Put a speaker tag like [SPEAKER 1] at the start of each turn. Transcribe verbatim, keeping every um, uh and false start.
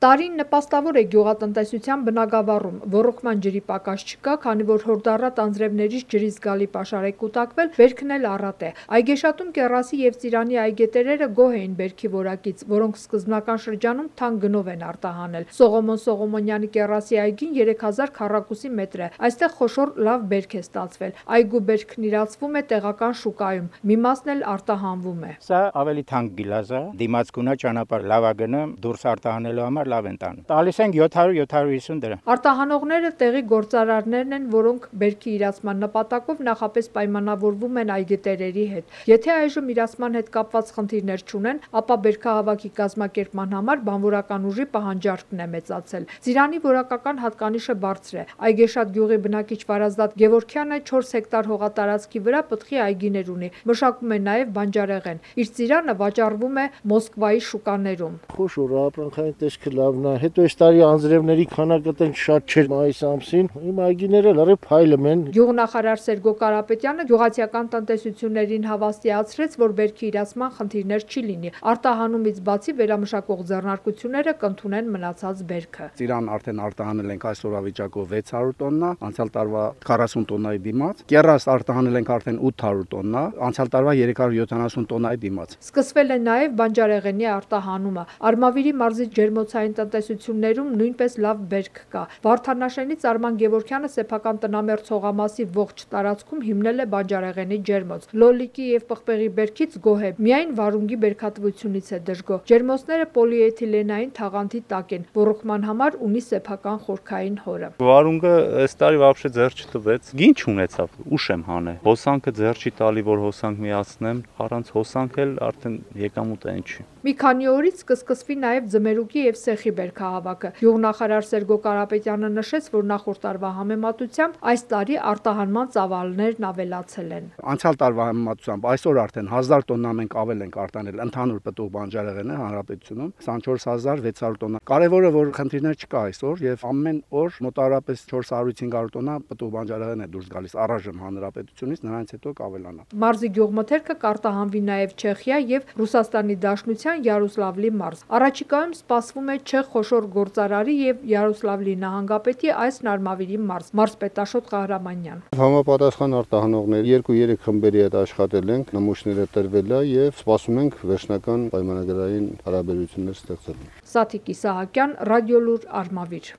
[SPEAKER 1] Տարին նպաստավոր է գյուղատնտեսության բնագավառում, ոռոգման ջրի պակաս չկա, քանի որ հորդառատ անձրևներից ջրի զգալի պաշար է կուտակվել, բերքն էլ առատ է։ Այգեշատում կեռասի և ծիրանի այգետերերը գոհ էին բերքի որակից, որոնք սկզբնական շրջանում թանկ գնով են արտահանել։ Սողոմոն Սողոմոնյանի կեռասի այգին երեք հազար քառակուսի մետր է, այստեղ խոշոր լավ բերք է ստացվել։ Այգու բերքն իրացվում է տեղական շուկայում, մի մասն էլ արտահանվում է։
[SPEAKER 2] Սա ավելի թանկ գիլազ է, դիմացկուն է, ճանապարհ լավ է գնում, դուրս արտահանելու համար լավ են տանում։ Տալիս ենք յոթ հարյուր յոթ հարյուր հիսուն դրամ։
[SPEAKER 1] Արտահանողները տեղի գործարարներն են, որոնք բերքի իրացման նպատակով նախապես պայմանավորվում են այգետերերի հետ։ Եթե այժմ իրացման հետ կապված խնդիրներ չունեն, ապա բերքահավաքի կազմակերպման համար բանվորական ուժի պահանջարկն է մեծացել։ Ծիրանի որակական հատկանիշը բարձր է։ Այգեշատ գյուղի բնակիչ Վարազդատ Գևորգյանը չորս հեկտար հողատարածքի վրա պտղի այգիներ ունի, մշակում է նաև բանջարեղեն։ Իր ծիրանը վաճառվում է Մոսկվայի շուկաներում։
[SPEAKER 3] Խոշոր ապրանքային տեսքը լավն է, հետո այս տարի անձրևների քանակը տենց շատ չէր մայիս ամսին, իմ այգիները լրիվ փայլում են։
[SPEAKER 1] Գյուղնախարար Սերգո Կարապետյանը գյուղացիական տնտեսություններին հավաստիացրեց, որ բերքի իրացման խնդիրներ չի լինի։ Արտահանումից բացի վերամշակող ձեռնարկությունները կընդունեն մնացած բերքը։
[SPEAKER 4] Ծիրան արդեն արտահանել ենք այսօրվա վիճակով վեց հարյուր տոննա, անցյալ տարվա քառասուն տոննայի դիմաց։ Կեռաս արտահանել ենք արդեն ութ հարյուր տոննա, անցյալ տարվա երեք հարյուր յոթանասուն տոննայի դիմաց։
[SPEAKER 1] Սկսվել է նաև բանջարեղենի արտահանումը։ Արմավիրի մարզի ջերմոցային տնտեսություններում նույնպես լավ բերք կա։ Վարդանաշենից Արման Գևորգյանը սեփական տնամերձ հողամասի ողջ տարածքում հիմնել է բանջարեղենի ջերմոց։ Լոլիկի եւ պղպեղի բերքից գոհ է, միայն վարունգի բերքատվությունից է դժգոհ։ Ջերմոցները պոլիէթիլենային թաղանթի տակ են, ոռոգման համար ունի սեփական խորքային հորը։
[SPEAKER 5] Վարունգը այս տարի вообще ձեռ չտվեց, գին չունեցավ, ուշ եմ հանել։ Հոսանքը ձեռ չի տալի, որ հոսանք միացնեմ, առանց հոսանք էլ արդեն եկամուտը այն չի։
[SPEAKER 1] Մի քանի օրից կսկսվի նաև ձմերուկի եւ սեխի բերքահավաքը։ Գյուղնախարար Սերգո Կարապետյանը նշեց, որ նախորդ տարվա համեմատությամբ այս տարի արտահանման ծավալներն ավելացել են։
[SPEAKER 4] Անցյալ տարվա համեմատությամբ այսօր արդեն հազար տոննա մենք ավել ենք արտանել ընդհանուր պտուղ բանջարեղենը հանրապետությունում, քսանչորս հազար վեց հարյուր տոննա։ Կարևորը որ խնդիրներ չկա այսօր եւ ամեն օր մոտավորապես չորս հարյուր հինգ հարյուր տոննա պտուղ բանջարեղեն է դուրս գալիս առայժմ հանրապետությունից, նրանից հետո կավելանա։
[SPEAKER 1] Մարզի գյուղմթերքը կարտահանվի նաև Չեխիա եւ Ռուսաստանի Դաշնության Յարոսլավլի մարզ։ Առաջիկայում սպասվում է չեխ խոշոր գործարարի եւ Յարոսլավլի նահանգապետի այս նարմավիրի մարզ։ Մարզպետ Աշոտ Ղահրամանյան։
[SPEAKER 6] Համապատասխան արտահանողներ երկու-երեք խմբերի հետ աշխատել ենք, նմուշները տրվել է եւ սպասում ենք վերջնական պայմանագրային հարաբերություններ ստեղծել։
[SPEAKER 1] Սաթիկ Իսահակյան, Ռադիոլուր, Արմավիր։